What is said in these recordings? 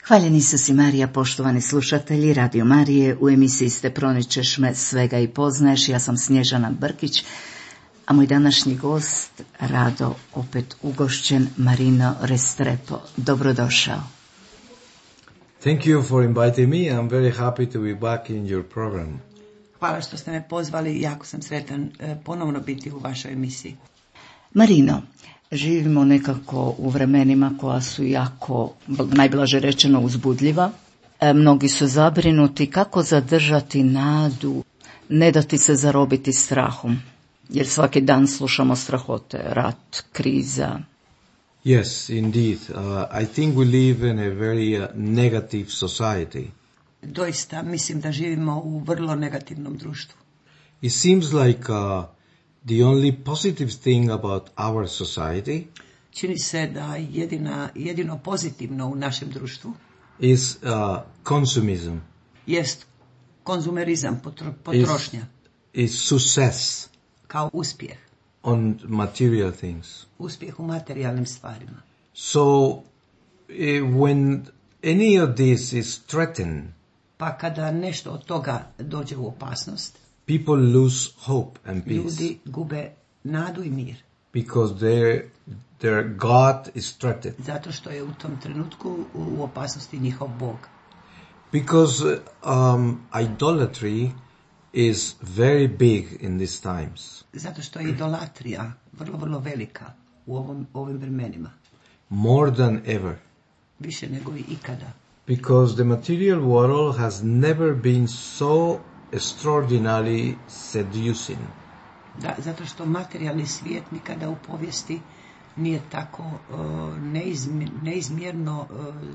Hvaljen Isus i Marija, poštovani slušatelji Radio Marije, u emisiji ste Proničeš me, svega i poznaješ. Ja sam Snježana Brkić, a moj današnji gost, rado opet ugošćen, Marino Restrepo. Dobrodošao. Thank you for inviting me. I'm very happy to be back in your program. Hvala što ste me pozvali, jako sam sretan ponovno biti u vašoj emisiji. Marino, živimo nekako u vremenima koja su jako, najblaže rečeno, uzbudljiva. Mnogi su zabrinuti kako zadržati nadu, ne dati se zarobiti strahom, jer svaki dan slušamo strahote, rat, kriza. Yes, indeed. I think we live in a very negative society. Doista mislim da živimo u vrlo negativnom društvu. It seems like the only positive thing about our society Čini se da jedino pozitivno u našem društvu is consumism. jest konzumerizam, potrošnja, is success kao uspjeh. on material things. Uspjeh u materijalnim stvarima. So when any of this is threatened, Pa kada nešto od toga dođe u opasnost, people lose hope and peace. ljudi gube nadu i mir. Because their God is threatened. Zato što je u tom trenutku u opasnosti njihov Bog. Because idolatry is very big in these times. Zato što je idolatrija vrlo, vrlo velika u ovim vremenima. More than ever. Više nego i ikada. Because the material world has never been so extraordinarily seducing. Da, zato što materijalni svijet nikada u povijesti nije tako neizmjerno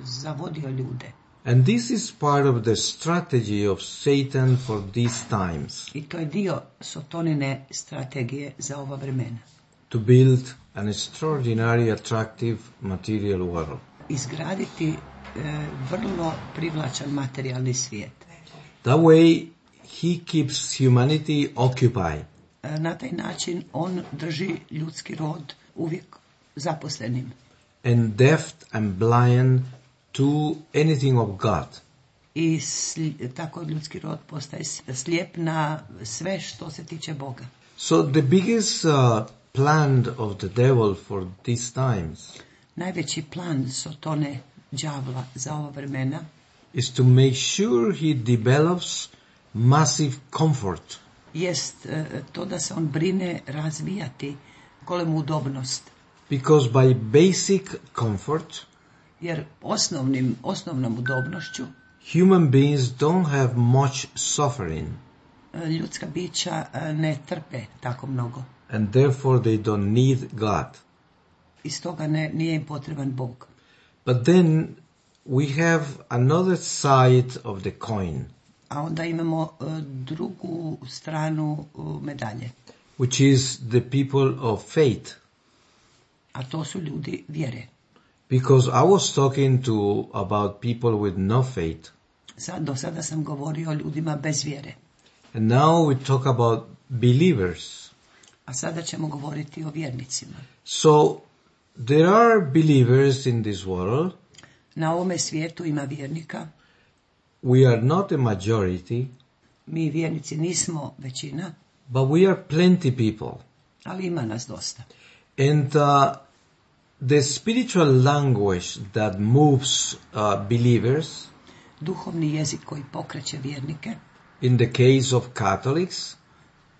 zavodio ljude. And this is part of the strategy of Satan for these times. I to je dio Sotonine strategije za ova vremena. To build an extraordinary attractive material world. Izgraditi vrlo privlačan materijalni svijet. That way he keeps humanity occupied. Na taj način on drži ljudski rod uvijek zaposlenim. And deaf and blind to anything of God. I tako ljudski rod postaje slijep na sve što se tiče Boga. So the biggest plan of the devil for these times Najveći plan Sotone, đavla, za ova vremena is to make sure he develops massive comfort. jest to da se on brine razvijati golemu udobnost. Because by basic comfort, Jer osnovnom udobnošću human beings don't have much suffering. Ljudska bića ne trpe tako mnogo. And therefore they don't need God. I stoga nije im potreban Bog. But then we have another side of the coin, A onda imamo drugu stranu medalje. which is the people of faith. A to su ljudi vjere. Because I was talking about people with no faith. Do sada sam govorio o ljudima bez vjere. And now we talk about believers. A sada ćemo govoriti o vjernicima. So there are believers in this world. Na ovome svijetu ima vjernika. We are not a majority. Mi vjernici nismo većina. But we are plenty people. Ali ima nas dosta. And the spiritual language that moves believers, Duhovni jezik koji pokreće vjernike, in the case of Catholics,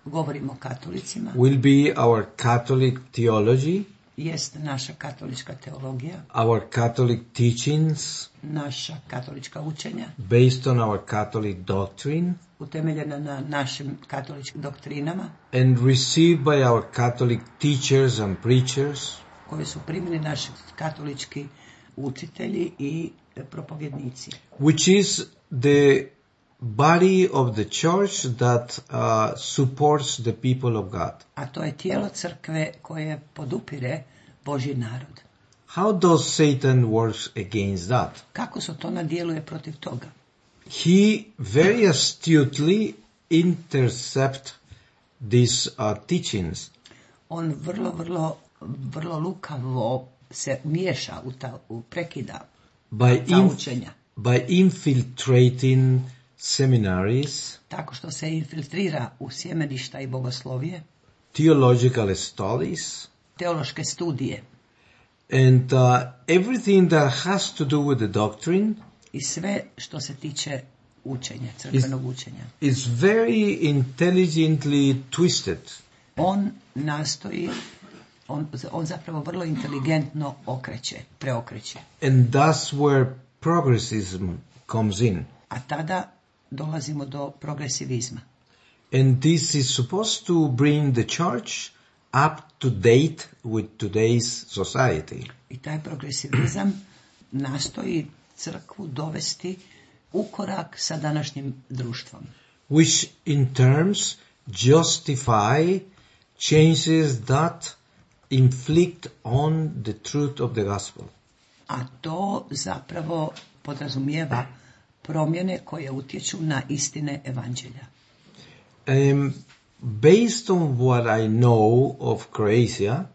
govorimo o katolicima, will be our Catholic theology, jest naša katolička teologija, our Catholic teachings, naša katolička učenja, based on our Catholic doctrine, utemeljena na našim katoličkim doktrinama, and received by our Catholic teachers and preachers, koje su primili naši katolički učitelji i propovjednici. which is the body of the church that supports the people of God. A to je tijelo crkve koje podupire Božji narod. How does Satan work against that? Kako se to nadjeluje protiv toga? He very astutely intercept these teachings On vrlo lukavo se miješa prekida ta učenja. by infiltrating seminaries, Tako što se infiltrira u sjemeništa i bogoslovije, theological studies, teološke studije and everything that has to do with the doctrine i sve što se tiče učenja, crkvenog učenja. is very intelligently twisted. On nastoji, on zapravo vrlo inteligentno preokreće. And that's where progressism comes in. A tada dolazimo do progresivizma. And this is supposed to bring the church up to date with today's society. I taj progresivizam nastoji crkvu dovesti u korak sa današnjim društvom. Which in terms justify changes that inflict on the truth of the gospel. A to zapravo podrazumijeva promjene koje utječu na istine evanđelja. Based on what I know of Croatia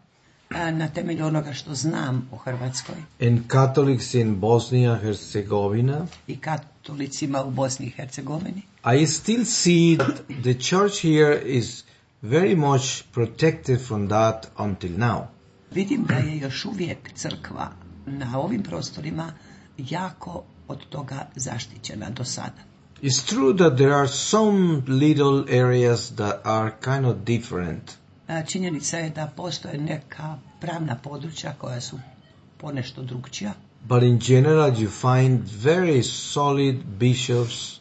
Na temelju onoga što znam o Hrvatskoj and Catholics in Bosnia and Herzegovina, i katolicima u Bosni i Hercegovini, I still see that the church here is very much protected from that until now. vidim da je još uvijek crkva na ovim prostorima jako od toga zaštićena do sada. It's true that there are some little areas that are kind of different. Činjenica je da postoje neka pravna područja koja su ponešto drukčija, But in general, you find very solid bishops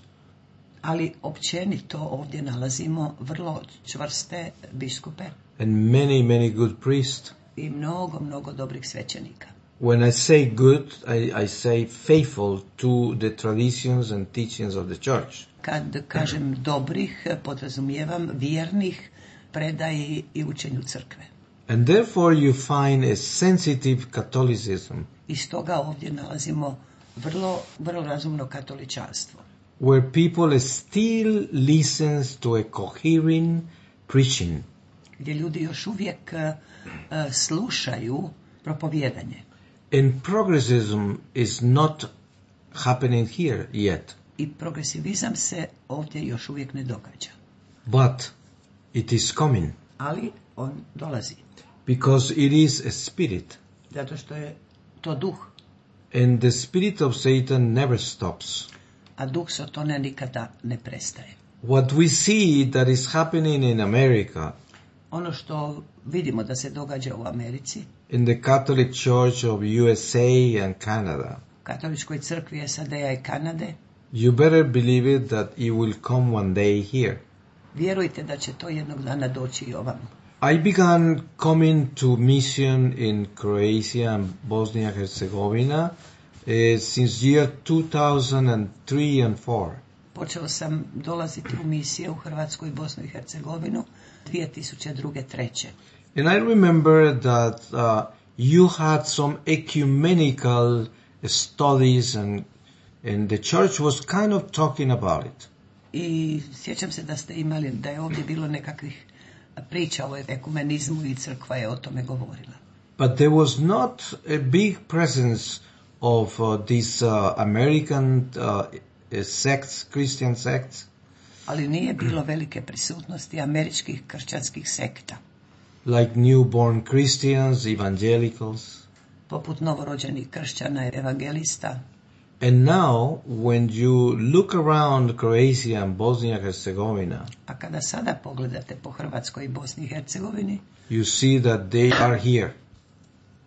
ali općenito ovdje nalazimo vrlo čvrste biskupe and many good priests. i mnogo dobrih svećenika. When I say good, I say faithful to the traditions and teachings of the church. Kad kažem dobrih, podrazumijevam vjernih predaji i učenju crkve. And therefore you find a sensitive Catholicism, I stoga ovdje nalazimo vrlo razumno katoličanstvo, where people still listens to a coherent preaching. gdje ljudi još uvijek slušaju propovijedanje. And progressism is not happening here yet, I progresivizam se ovdje još uvijek ne događa. but it is coming Ali on dolazi, because it is a spirit, zato što je to duh, and the spirit of Satan never stops. a duh Sotone nikada ne prestaje. What we see that is happening in America, Ono što vidimo da se događa u Americi, in the Catholic Church of USA and Canada, katoličkoj crkvi SAD-a i Kanade, you better believe it that it will come one day here. vjerujte da će to jednog dana doći i ovamo. I began coming to mission in Croatia and Bosnia and Herzegovina since year 2003 and 4. Počeo sam dolaziti u misije u Hrvatsku i Bosnu i Hercegovinu 2002. 3. And I remember that you had some ecumenical studies and the church was kind of talking about it. I sjećam se da je ovdje bilo nekakvih priča o ekumenizmu i crkva je o tome govorila. But there was not a big presence of these American sects, Christian sects. Ali nije bilo velike prisutnosti američkih kršćanskih sekta, Like newborn Christians, evangelicals. poput novorođenih kršćana, evangelista. And now, when you look around Croatia and Bosnia and Herzegovina, A kada sada pogledate po Hrvatskoj i Bosni i Hercegovini, you see that they are here.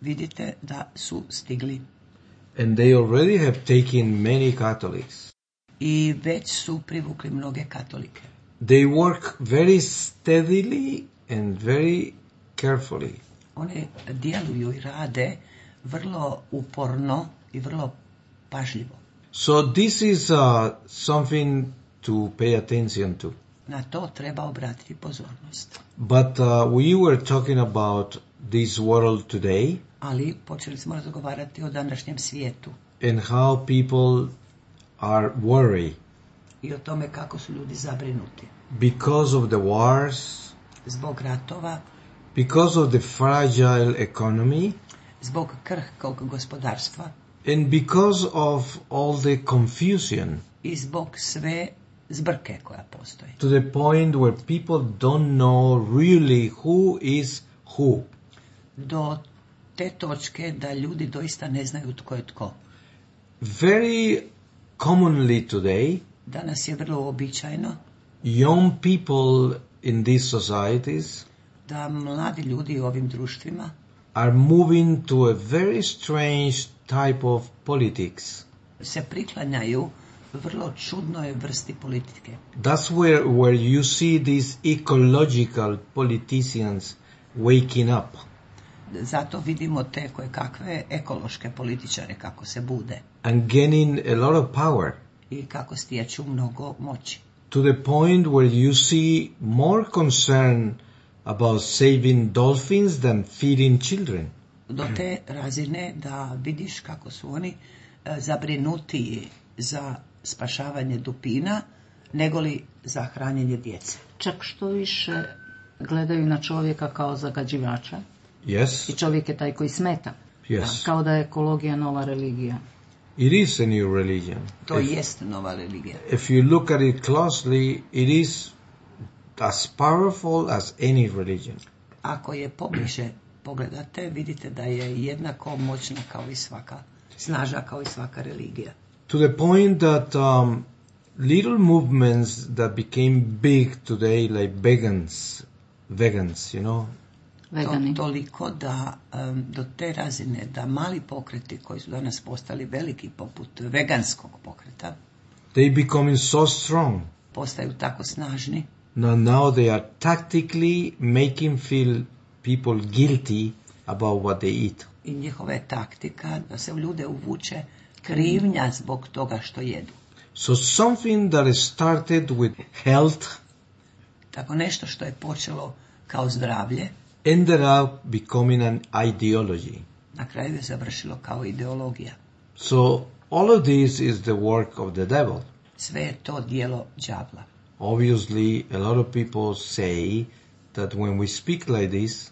vidite da su stigli And they already have taken many Catholics. i već su privukli mnoge katolike. They work very steadily and very carefully. One djeluju i rade vrlo uporno i vrlo pažljivo. So this is something to pay attention to. Na to treba obratiti pozornost. But we were talking about this world today Ali počeli smo razgovarati o današnjem svijetu and how people are worried i o tome kako su ljudi zabrinuti. because of the wars, Zbog ratova, because of the fragile economy, zbog krhkog gospodarstva and because of all the confusion, i zbog sve zbrke koja postoji. to the point where people don't know really who is who. Do te točke da ljudi doista ne znaju tko je tko. Very commonly today, Danas je vrlo uobičajeno young people in these societies da mladi ljudi u ovim društvima are moving to a very strange type of politics. se priklanjaju vrlo čudnoj vrsti politike. That's where you see these ecological politicians waking up. Zato vidimo te koje kakve ekološke političare kako se bude And gaining a lot of power, i kako stječu mnogo moći. to the point where you see more concern about saving dolphins than feeding children. Do te razine da vidiš kako su oni zabrinutiji za spašavanje dupina negoli za hranjenje djece. Čak što više gledaju na čovjeka kao zagađivača Yes, i čovjek je taj koji smeta. yes. Kao da je ekologija nova religija. It is a new religion. To jest nova religija. If you look at it closely, it is as powerful as any religion. Ako je pobliže pogledate, vidite da je jednako moćna kao i svaka, snažna kao i svaka religija. To the point that little movements that became big today, like vegans, you know, Vegani. Toliko da do te razine da mali pokreti koji su danas postali veliki poput veganskog pokreta they becoming so strong. postaju tako snažni Now they are tactically making feel people guilty about what they eat. i njihova je taktika da se u ljude uvuče krivnja zbog toga što jedu. So something that started with health Tako nešto što je počelo kao zdravlje, ended up becoming an ideology. na kraju je završilo kao ideologija. So all of this is the work of the devil. Sve je to djelo đavla. Obviously, a lot of people say that when we speak like this,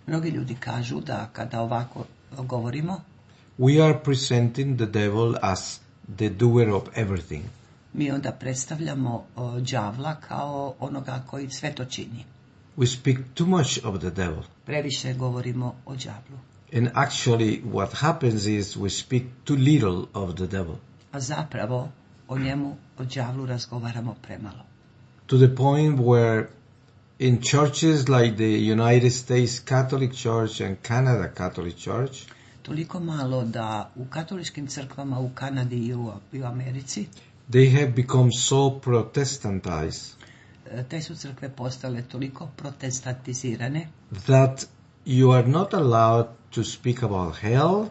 Mnogi ljudi kažu da kada ovako govorimo, we are presenting the devil as the doer of everything. mi onda predstavljamo đavla kao onoga koji sve to čini. We speak too much of the devil. Previše govorimo o đavlu. And actually, what happens is we speak too little of the devil. A zapravo o njemu, o đavlu razgovaramo premalo. To the point where in churches like the United States Catholic Church and Canada Catholic Church, Toliko malo da u katoličkim crkvama u Kanadi i u Americi they have become so Protestantized te su crkve postale toliko protestantizirane that you are not allowed to speak about hell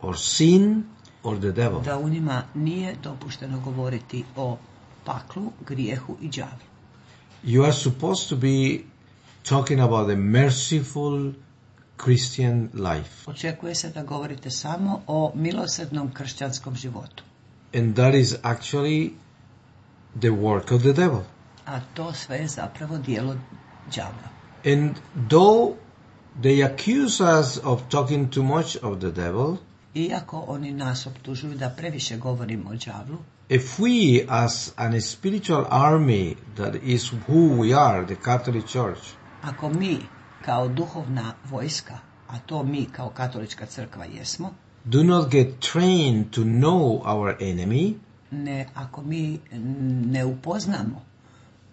or sin or the devil. da u njima nije dopušteno govoriti o paklu, grijehu i đavlu. You are supposed to be talking about the merciful Christian life. Očekuje se da govorite samo o milosrdnom kršćanskom životu. And that is actually the work of the devil. A to sve je zapravo djelo đavla. And though they accuse us of talking too much of the devil, Iako oni nas optužuju da previše govorimo o đavlu, if we as an spiritual army that is who we are, the Catholic Church, ako mi kao duhovna vojska, a to mi kao katolička crkva jesmo, do not get trained to know our enemy, ako mi ne upoznamo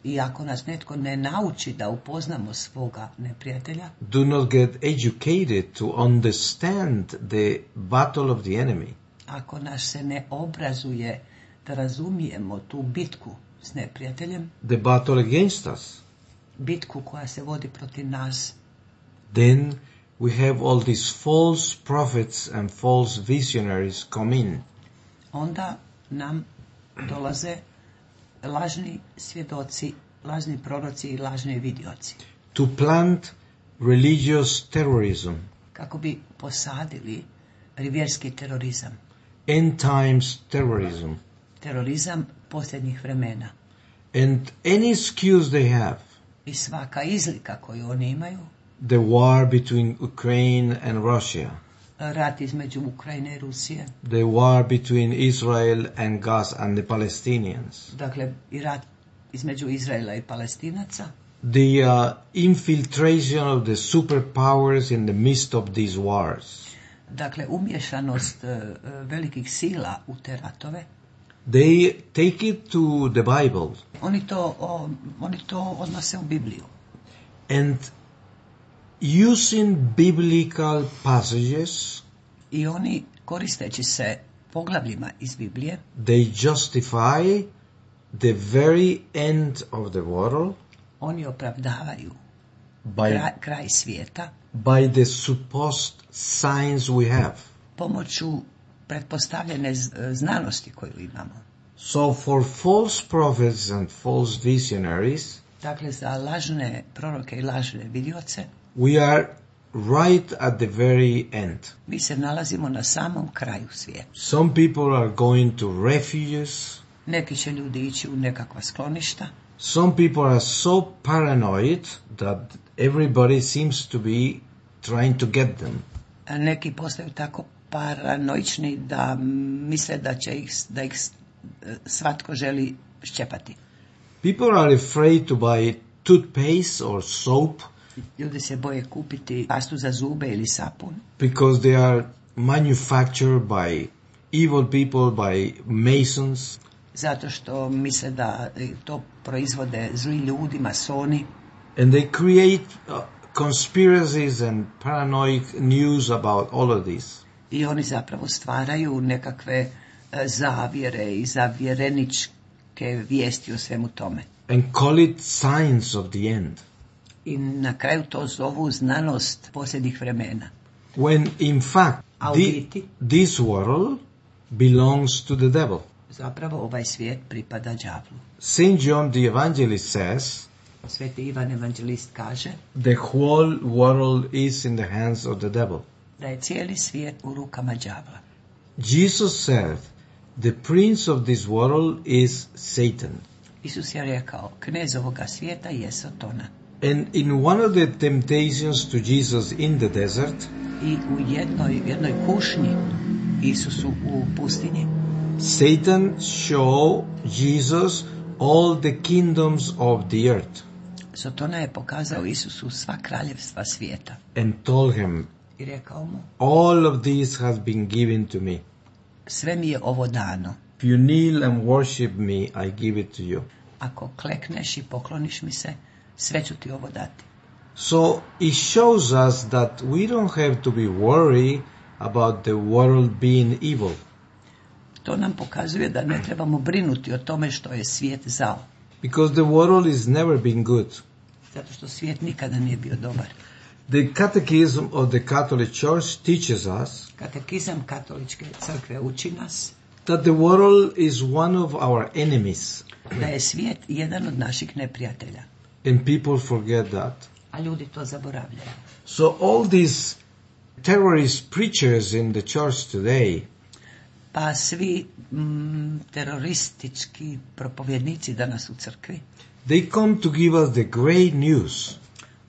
i ako nas netko ne nauči da upoznamo svoga neprijatelja, do not get educated to understand the battle of the enemy, ako nas se ne obrazuje da razumijemo tu bitku s neprijateljem, the battle against us, bitku koja se vodi protiv nas, then we have all these false prophets and false visionaries come in. Onda nam dolaze lažni svjedoci, lažni proroci i lažni vidioci. To plant religious terrorism, Kako bi posadili vjerski terorizam. end times terrorism. Terorizam posljednjih vremena. And any excuse they have, I svaka izlika koju oni imaju, the war between Ukraine and Russia, rat između Ukrajine i Rusije, the war between Israel and Gaza and the Palestinians, dakle i rat između Izraela i Palestinaca, the infiltration of the superpowers in the midst of these wars. dakle umješanost velikih sila u te ratove, They take it to the Bible oni to odnose u Bibliju. and using biblical passages, I oni, koristeći se poglavljima iz Biblije, they justify the very end of the world oni opravdavaju kraj svijeta by the supposed signs we have. pomoću pretpostavljene znanosti koju imamo. So for false prophets and false visionaries, Dakle, za lažne proroke i lažne vidioce, we are right at the very end. mi se nalazimo na samom kraju svijeta. Some people are going to refuges. Neki će ljudi ići u nekakva skloništa, Some people are so paranoid that everybody seems to be trying to get them. a neki postaju tako paranoični da misle da ih svatko želi ščepati. People are afraid to buy toothpaste or soap Ljudi se boje kupiti pastu za zube ili sapun, because they are manufactured by evil people, by masons. zato što misle da to proizvode zli ljudi, masoni, And they create conspiracies and paranoid news about all of this. i oni zapravo stvaraju nekakve zavjere i zavjereničke vijesti o svemu tome. And call it signs of the end. I na kraju to zovu znanost posljednjih vremena. When in fact, A u biti, this world belongs to the devil. zapravo ovaj svijet pripada đavlu. St. John the Evangelist says, Sveti Ivan Evanđelist kaže the whole world is in the hands of the devil. da je cijeli svijet u rukama đavla. Jesus said, the prince of this world is Satan. Isus je rekao, knez ovoga svijeta je Satana. And in one of the temptations to Jesus in the desert, I u jednoj kušnji Isusu u pustinji, Satan showed Jesus all the kingdoms of the earth Satana je pokazao Isusu sva kraljevstva svijeta and told him, i rekao mu, all of this has been given to me. sve mi je ovo dano. If you kneel and worship me, I give it to you. Ako klekneš i pokloniš mi se, sve ću ti ovo dati. So it shows us that we don't have to be worried about the world being evil. To nam pokazuje da ne trebamo brinuti o tome što je svijet zao, Because the world has never been good. zato što svijet nikada nije bio dobar. The Catechism of the Catholic Church teaches us Katekizam katoličke crkve uči nas that the world is one of our enemies. da je svijet jedan od naših neprijatelja, And people forget that. a ljudi to zaboravljaju. So all these terrorist preachers in the church today, Pa svi teroristički propovjednici danas u crkvi, they come to give us the great news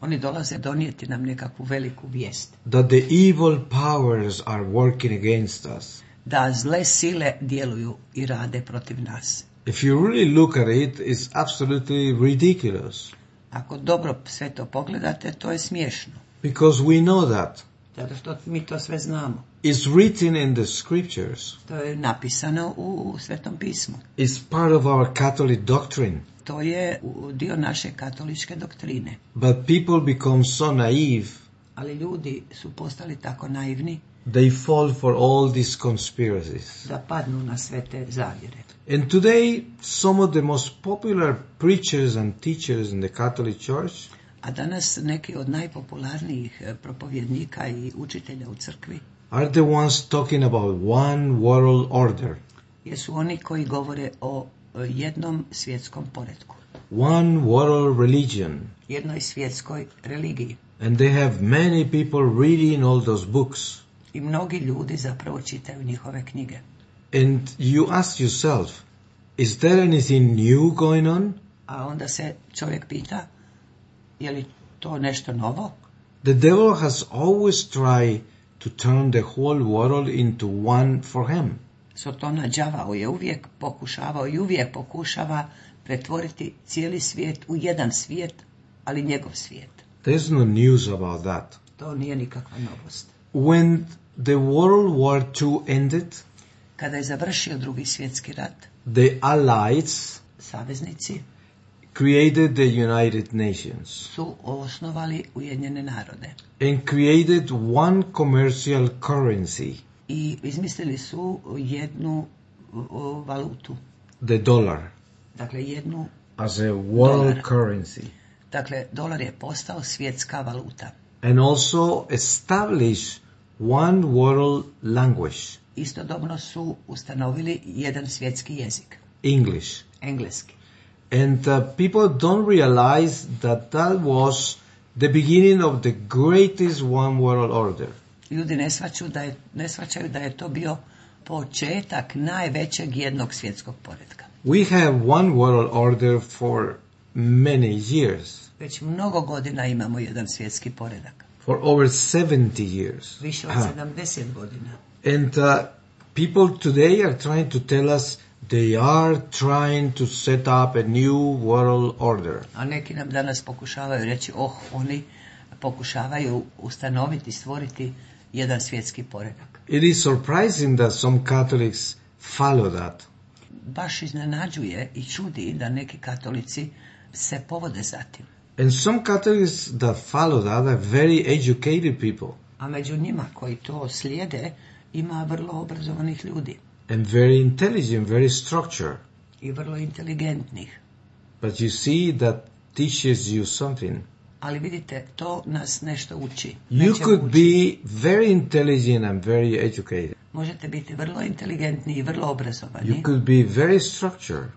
oni dolaze donijeti nam nekakvu veliku vijest, that the evil powers are working against us. da zle sile djeluju i rade protiv nas. If you really look at it, it's absolutely ridiculous. Ako dobro sve to pogledate, to je smiješno, Because we know that. zato što mi to sve znamo. It's written in the scriptures. To je napisano u Svetom pismu. It's part of our Catholic doctrine. To je dio naše katoličke doktrine. But people become so naive, Ali ljudi su postali tako naivni they fall for all these conspiracies. da padnu na sve te zavjere. And today, some of the most popular preachers and teachers in the Catholic Church, A danas neki od najpopularnijih propovjednika i učitelja u crkvi are the ones talking about one world order, jesu oni koji govore o jednom svjetskom poretku, one world religion, jednoj svjetskoj religiji. and they have many people reading all those books. I mnogi ljudi zapravo čitaju njihove knjige. And you ask yourself, is there anything new going on? A onda se čovjek pita, je li to nešto novo? The devil has always tried to turn the whole world into one for him. Sotona đavao je uvijek pokušavao i uvijek pokušava pretvoriti cijeli svijet u jedan svijet, ali njegov svijet. There's no news about that. To nije nikakva novost. When the World War II ended, Kada je završio Drugi svjetski rat, the Allies saveznici created the United Nations su osnovali Ujedinjene narode and created one commercial currency, i izmislili su jednu valutu, the dollar, dakle jednu, as a world Dolar. currency, dakle dolar je postao svjetska valuta. and also established one world language, Istodobno su ustanovili jedan svjetski jezik, English. engleski. And people don't realize that that was the beginning of the greatest one world order. Ljudi ne shvaćaju da je to bio početak najvećeg jednog svjetskog poretka. We have one world order for many years, Već mnogo godina imamo jedan svjetski poredak. for over 70 years. Više od 70 godina. And people today are trying to tell us they are trying to set up a new world order. A neki nam danas pokušavaju reći, oni pokušavaju ustanoviti, stvoriti jedan svjetski poredak. It is surprising that some Catholics follow that. Baš iznenađuje i čudi da neki katolici se povode za tim. And some Catholics that follow that are very educated people A među njima koji to slijede ima vrlo obrazovanih ljudi and very intelligent, very structured. i vrlo inteligentnih. But you see that teaches you something. Ali vidite, to nas nešto uči. You Nečemu could uči. be very intelligent and very educated. Možete biti vrlo inteligentni i vrlo You obrazovani could be very structured,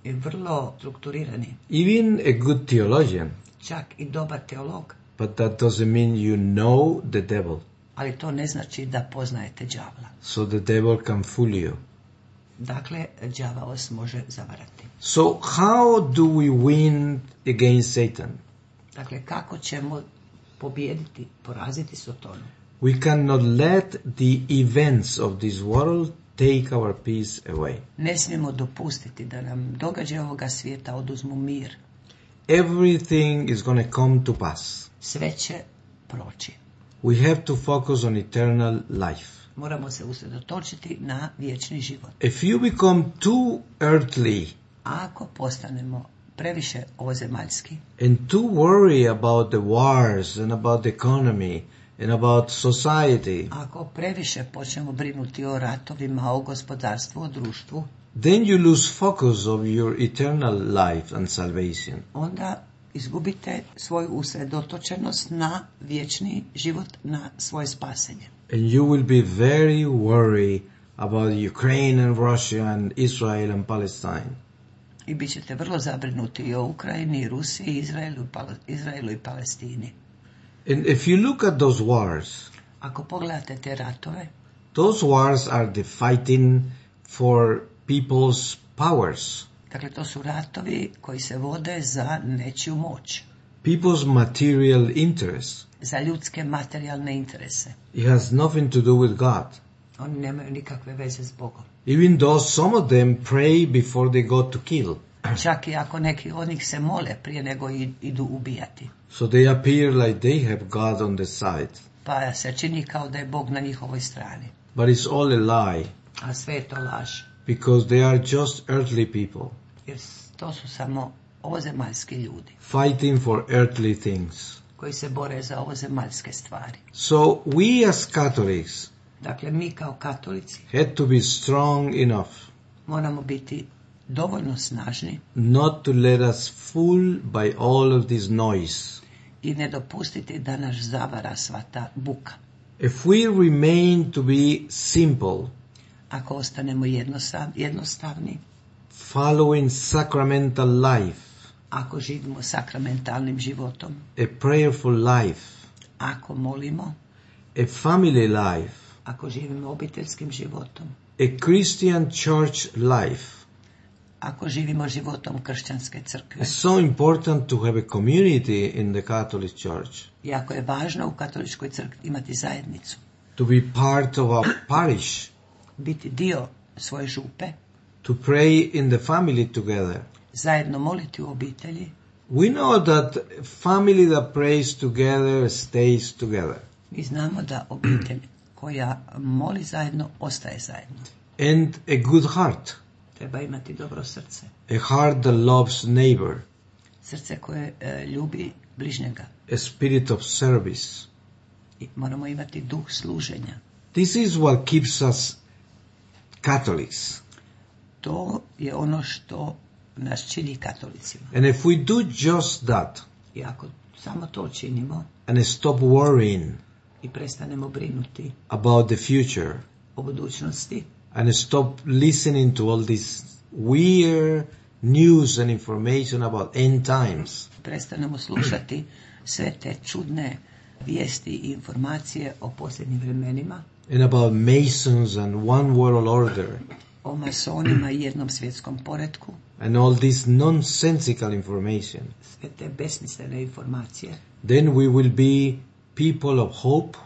i vrlo strukturirani. even a good theologian. Čak i dobar teolog. But that doesn't mean you know the devil. Ali to ne znači da poznajete đavla. So the devil can fool you. Dakle, đava vas može zavarati. So how do we win against Satan? Dakle, kako ćemo pobijediti, poraziti Sotonu? We cannot let the events of this world take our peace away. Ne smijemo dopustiti da nam događaje ovoga svijeta oduzmu mir. Everything is going to come to pass. Sve će proći. We have to focus on eternal life. Moramo se usredotočiti na vječni život. If you become too earthly A ako postanemo previše ovozemaljski and too worry about the wars and about the economy and about society, ako previše počnemo brinuti o ratovima, o gospodarstvu, o društvu, then you lose focus of your eternal life and salvation. onda izgubite svoju usredotočenost na vječni život, na svoje spasenje. And you will be very worried about Ukraine and Russia and Israel and Palestine. I bit ćete vrlo zabrinuti i o Ukrajini, i Rusiji, i Izraelu i Palestini. And if you look at those wars, Ako pogledate te ratove, those wars are the fighting for people's powers, dakle to su ratovi koji se vode za nečiju moć, people's material interests. za ljudske materijalne interese. It has nothing to do with God. Oni nemaju nikakve veze s Bogom. Even though some of them pray before they go to kill. Čak i ako neki od njih se mole prije nego idu ubijati. So they appear like they have God on the side. Pa se čini kao da je Bog na njihovoj strani. But it's all a lie, A sve je to laž. because they are just earthly people Jer to su samo ovozemaljski ljudi fighting for earthly things. koji se bore za ovozemaljske stvari. So we as Catholics Dakle, mi kao katolici had to be strong enough moramo biti dovoljno snažni not to let us fool by all of this noise. i ne dopustiti da nas zavara sva ta buka. If we remain to be simple, Ako ostanemo jednostavni, following sacramental life, ako živimo sakramentalnim životom, a prayerful life, ako molimo, a family life, ako živimo obiteljskim životom, a Christian church life, ako živimo životom kršćanske crkve. it's so important to have a community in the Catholic Church, Jako je važno u katoličkoj crkvi imati zajednicu, to be part of our parish, biti dio svoje župe, to pray in the family together. zajedno moliti u obitelji. We know that family that prays together stays together. Mi znamo da obitelj koja moli zajedno, ostaje zajedno. And a good heart, Treba imati dobro srce. a heart that loves neighbor, Srce koje ljubi bližnjega. a spirit of service. I moramo imati duh služenja. This is what keeps us Catholics. To je ono što nas čini katolicima. And if we do just that I ako samo to činimo and stop worrying i prestanemo brinuti about the future o budućnosti, and stop listening to all this weird news and information about end times, prestanemo slušati sve te čudne vijesti i informacije o posljednjim vremenima, and about Masons and one world order, o masonima i jednom svjetskom poretku, and all this nonsensical information, sve te besmislene informacije, then we will be people of hope,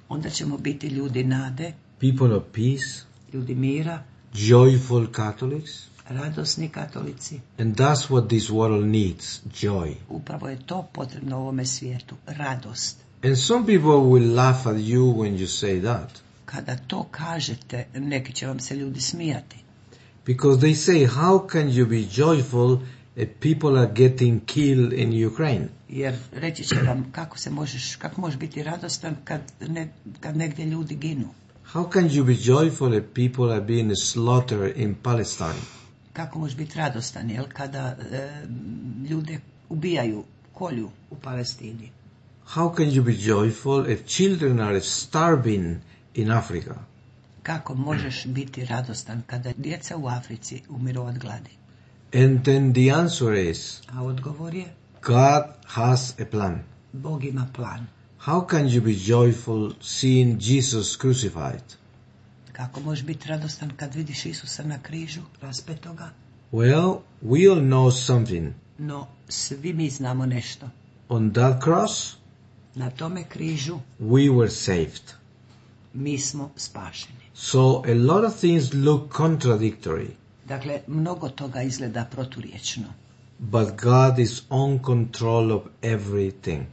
onda ćemo biti ljudi nade, people of peace, ljudi mira, joyful Catholics. radosni katolici. And that's what this world needs, joy. Upravo je to potrebno u ovome svijetu, radost. And some people will laugh at you when you say that, Kada to kažete, neki će vam se ljudi smijati. because they say, how can you be joyful if people are getting killed in Ukraine? Jer reći će vam kako možeš biti radostan kad negdje ljudi ginu. How can you be joyful if people are being slaughtered in Palestine? Kako možeš biti radostan, jel, kada ljude ubijaju, kolju u Palestini. How can you be joyful if children are starving in Africa? Kako možeš biti radostan kada djeca u Africi umiru od gladi? And then the answer is, A odgovor je, God has a plan. Bog ima plan. How can you be joyful seeing Jesus crucified? Kako možeš biti radostan kad vidiš Isusa na križu, raspetoga? Well, we all know something. No, svi mi znamo nešto. On that cross, Na tome križu we were saved. mi smo spašeni. So a lot of things look contradictory, Dakle, mnogo toga izgleda proturječno, but God is on control of everything.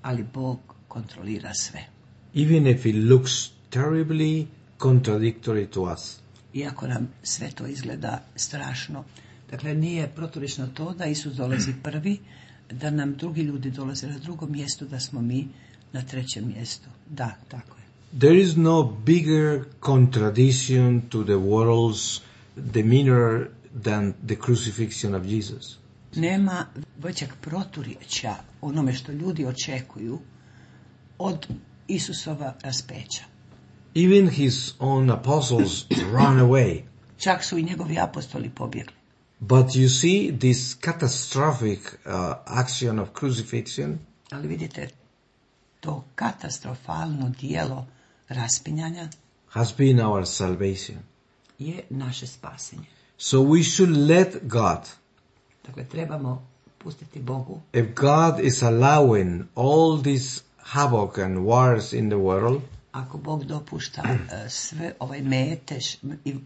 ali Bog kontrolira sve. Even if it looks terribly contradictory to us. Iako nam sve to izgleda strašno. Dakle, nije proturječno to da Isus dolazi prvi, da nam drugi ljudi dolaze na drugom mjestu, da smo mi na trećem mjestu. Da, tako je. There is no bigger contradiction to the world's demeanor than the crucifixion of Jesus. Nema većeg proturječja onome što ljudi očekuju od Isusova raspeća. Even his own apostles ran away. Čak su i njegovi apostoli pobjegli. But you see, this catastrophic action of crucifixion Ali vidite, to katastrofalno dijelo raspinjanja has been our salvation. je naše spasenje. So we should let God. Dakle, trebamo pustiti Bogu. If God is allowing all this havoc and wars in the world, Ako Bog dopušta sve ovaj metež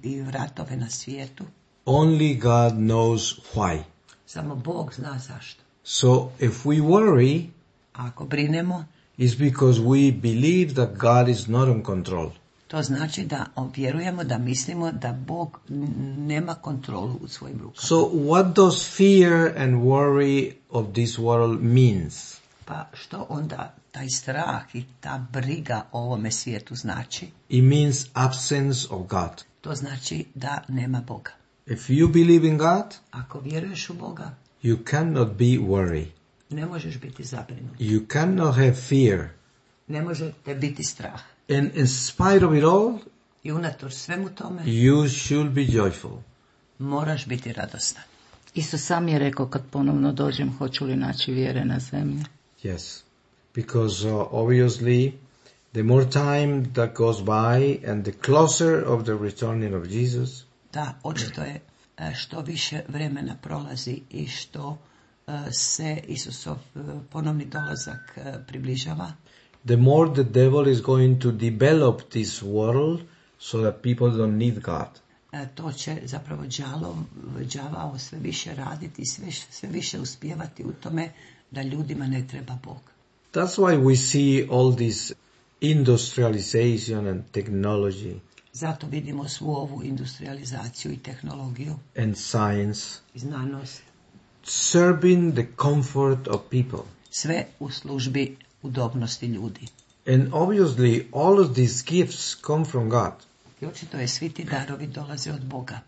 i ratove na svijetu, only God knows why. samo Bog zna zašto. So if we worry, A ako brinemo, it's because we believe that God is not in control. to znači da vjerujemo, da mislimo da Bog nema kontrolu u svojim rukama. So what does fear and worry of this world means? Pa što onda taj strah i ta briga o ovome svijetu znači? It means absence of God. To znači da nema Boga. If you believe in God, Ako vjeruješ u Boga, you cannot be worried. Ne možeš biti zabrinut. You cannot have fear. Ne može te biti strah. And in spite of it all, I unatoč svemu tome, you should be joyful. moraš biti radostan. Isus sam je rekao, kad ponovno dođem, hoću li naći vjere na zemlji. Yes. Because obviously, the more time that goes by and the closer of the returning of Jesus, Da, očito je što više vremena prolazi i što se Isusov ponovni dolazak približava, the more the devil is going to develop this world so that people don't need God. To će zapravo đavao sve više raditi, sve više uspijevati u tome da ljudima ne treba Bog. That's why we see all this industrialization and technology Zato vidimo svu ovu industrializaciju i tehnologiju and science i znanost, serving the comfort of people. sve u službi udobnosti ljudi. And obviously, all of these gifts come from God. I očito je svi ti darovi dolaze od Boga,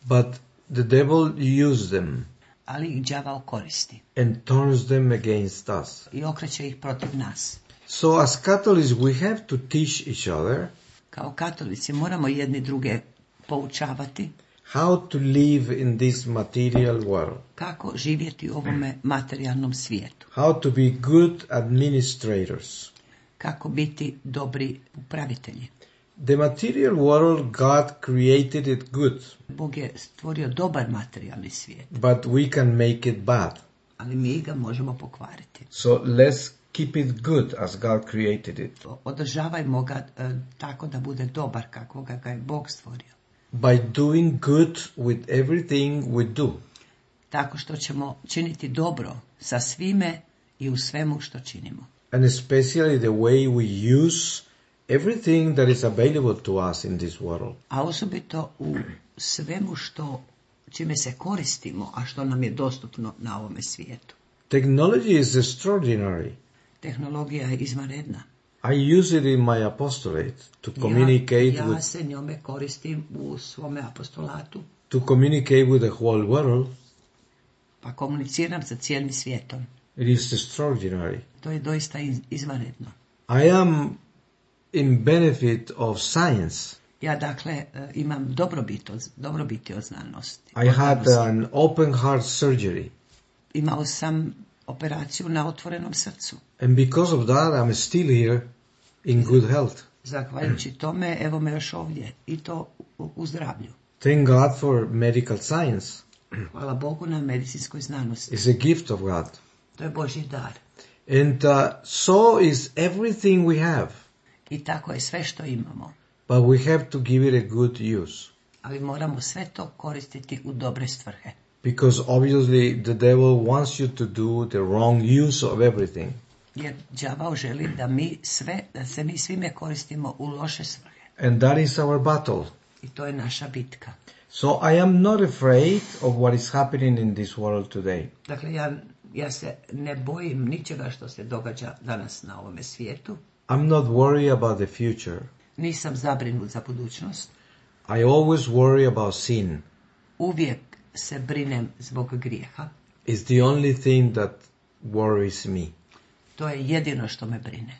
But the devil uses them ali ih đavao koristi and turns them against us. i okreće ih protiv nas. So as Catholics, we have to teach each other Kao katolici moramo jedni druge poučavati how to live in this material world, kako živjeti u ovome materijalnom svijetu, how to be good administrators. kako biti dobri upravitelji. The material world, God created it good, Bog je stvorio dobar materijalni svijet, but we can make it bad. ali mi ga možemo pokvariti. So let's keep it good as God created it. Održavajmo ga tako da bude dobar kako ga je Bog stvorio. By doing good with everything we do. Tako što ćemo činiti dobro sa svime i u svemu što činimo. And especially the way we use everything that is available to us in this world. A osobito u svemu čime se koristimo, a što nam je dostupno na ovome svijetu. Technology is extraordinary. Tehnologija je izvanredna. I use it in my apostolate to communicate Ja se njome koristim u svome apostolatu, with the whole world. pa komuniciram sa cijelim svijetom. It is extraordinary. To je doista izvanredno. I am in benefit of science. Ja dakle imam dobrobiti od znanosti. I had an open heart surgery. Imao sam operaciju na otvorenom srcu. And because of that, I'm still here in good health. Zahvaljujući tome, evo me još ovdje, i to u zdravlju. Thank God for medical science. Hvala Bogu na medicinskoj znanosti. It's a gift of God. To je Božji dar. And so is everything we have. I tako je sve što imamo. But we have to give it a good use. Ali moramo sve to koristiti u dobre svrhe. Because obviously the devil wants you to do the wrong use of everything. Jer đavao želi da se mi svime koristimo u loše svrhe. And that is our battle. I to je naša bitka. So I am not afraid of what is happening in this world today. Dakle, ja se ne bojim ničega što se događa danas na ovome svijetu. I'm not worried about the future. Nisam zabrinut za budućnost. I always worry about sin. Uvijek se brinem zbog grijeha. It's the only thing that worries me. To je jedino što me brine.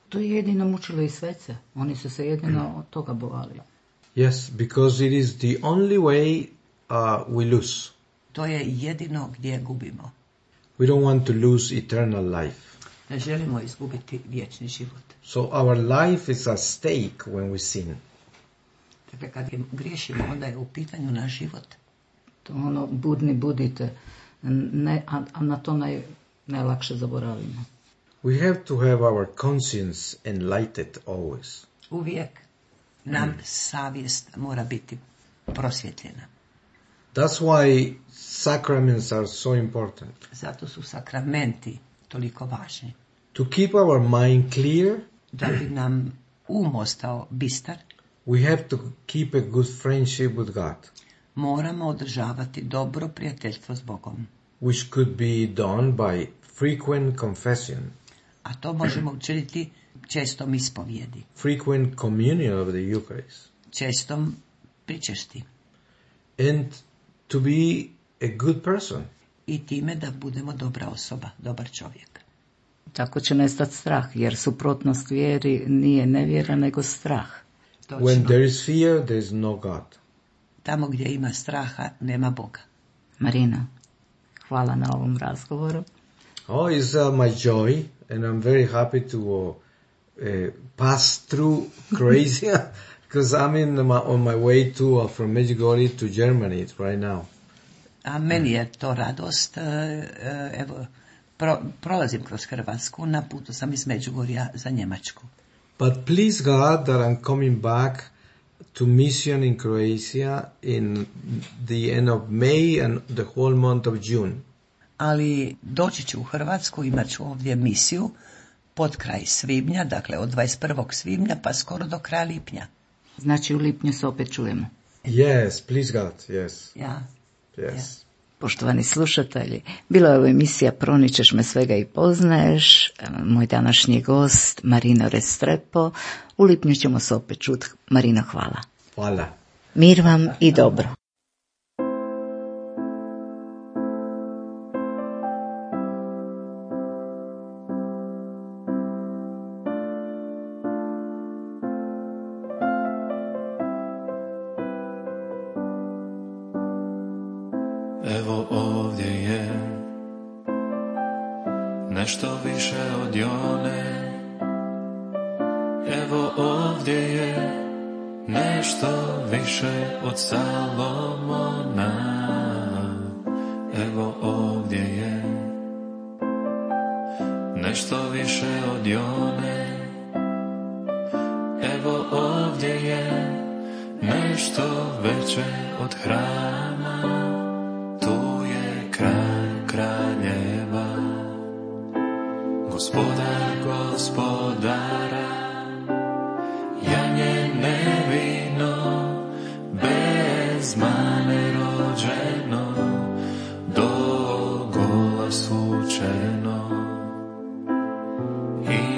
To je jedino mučilo i svece. Oni su se jedino od toga bojali. Yes, because it is the only way we lose. To je jedino gdje gubimo. We don't want to lose eternal life. Ne želimo izgubiti vječni život. So our life is at stake when we sin. Dakle, kad griješimo, onda je u pitanju naš život. To budni budite, a na to najlakše zaboravimo. We have to have our conscience enlightened always. Uvijek nam savjest mora biti prosvjetljena. That's why sacraments are so important. Zato su sakramenti toliko važni. To keep our mind clear, Da bi nam ostao bistar, we have to keep a good friendship with God, moramo održavati dobro prijateljstvo s Bogom. which could be done by frequent confession, A to možemo učiniti čestom ispovjedi, frequent communion of the Eucharist, čestom pričešti and to be a good person. i time da budemo dobra osoba, dobar čovjek. Tako će nestati strah, jer suprotnost vjeri nije nevjera, nego strah. Točno. When there is fear, there is no God. Tamo gdje ima straha, nema Boga. Marina, hvala na ovom razgovoru. Oh, it's my joy, and I'm very happy to pass through Croatia, because I'm on my way from Medjugorje to Germany right now. A meni je to radost. Evo, prolazim kroz Hrvatsku, na putu sam iz Međugorja za Njemačku. But please God that I'm coming back to mission in Croatia in the end of May and the whole month of June. Ali doći ću u Hrvatsku, imat ću ovdje misiju pod kraj svibnja, dakle od 21. svibnja pa skoro do kraja lipnja. Znači u lipnju se opet čujemo. Yes, please God, yes. Ja. Yes. Poštovani slušatelji, bila je ovo emisija Proničeš me svega i poznaješ. Moj današnji gost Marino Restrepo. U lipnju ćemo se opet čuti. Marino, hvala. Hvala. Mir vam i dobro. Evo ovdje je nešto više od Jone. Evo ovdje je nešto više od Salomona. Evo ovdje je nešto više od Jone. Evo ovdje je nešto veće od hrama. Tu je kralj kraljeva, gospodar gospodara, janje nevino, bez mane rođeno, do gola sučeno,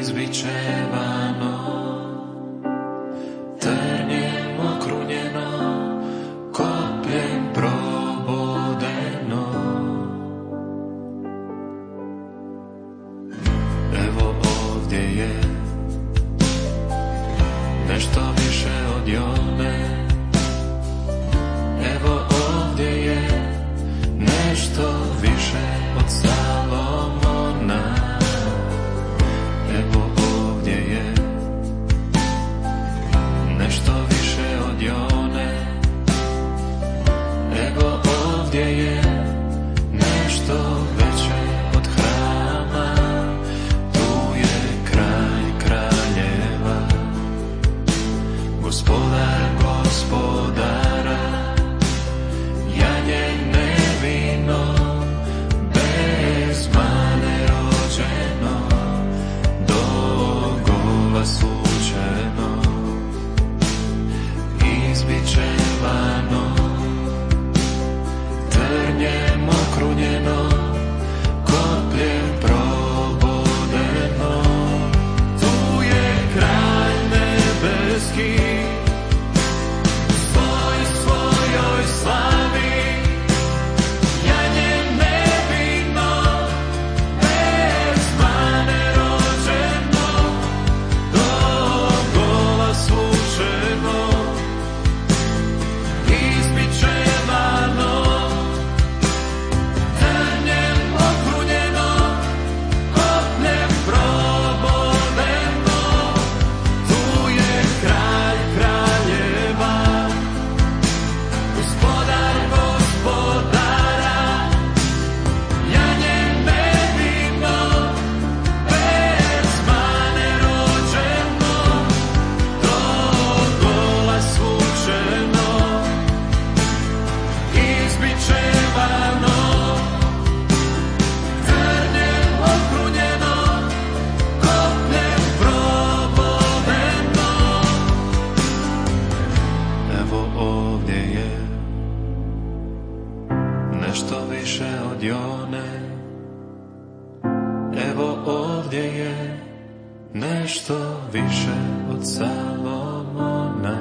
izbičevano, trnjem okrunjeno, kopljem probodeno. Evo ovdje je nešto više od Jone. Evo ovdje je nešto više od Salomona. Evo ovdje je nešto više od Jone. Evo ovdje je nešto veće od hrama. Tu je kralj kraljeva, gospodar gospodara, janje nevino, bez mane rođeno, do gola sučeno, izbičevano, trnjem okrunjeno, kopljem probodeno. Tu je kralj nebeski, svojoj slavi, janje nevino, bez mane rođeno, do gola sučeno, izbičevano, trnjem okrunjeno, kopljem probodeno. Tu je kralj kraljeva, gospodar gospodara, janje nevino, bez mane rođeno, do gola sučeno, izbičevano, trnjem okrunjeno, kopljem probodeno. Evo ovdje je nešto više od Jone. Evo ovdje je nešto više od Salomona.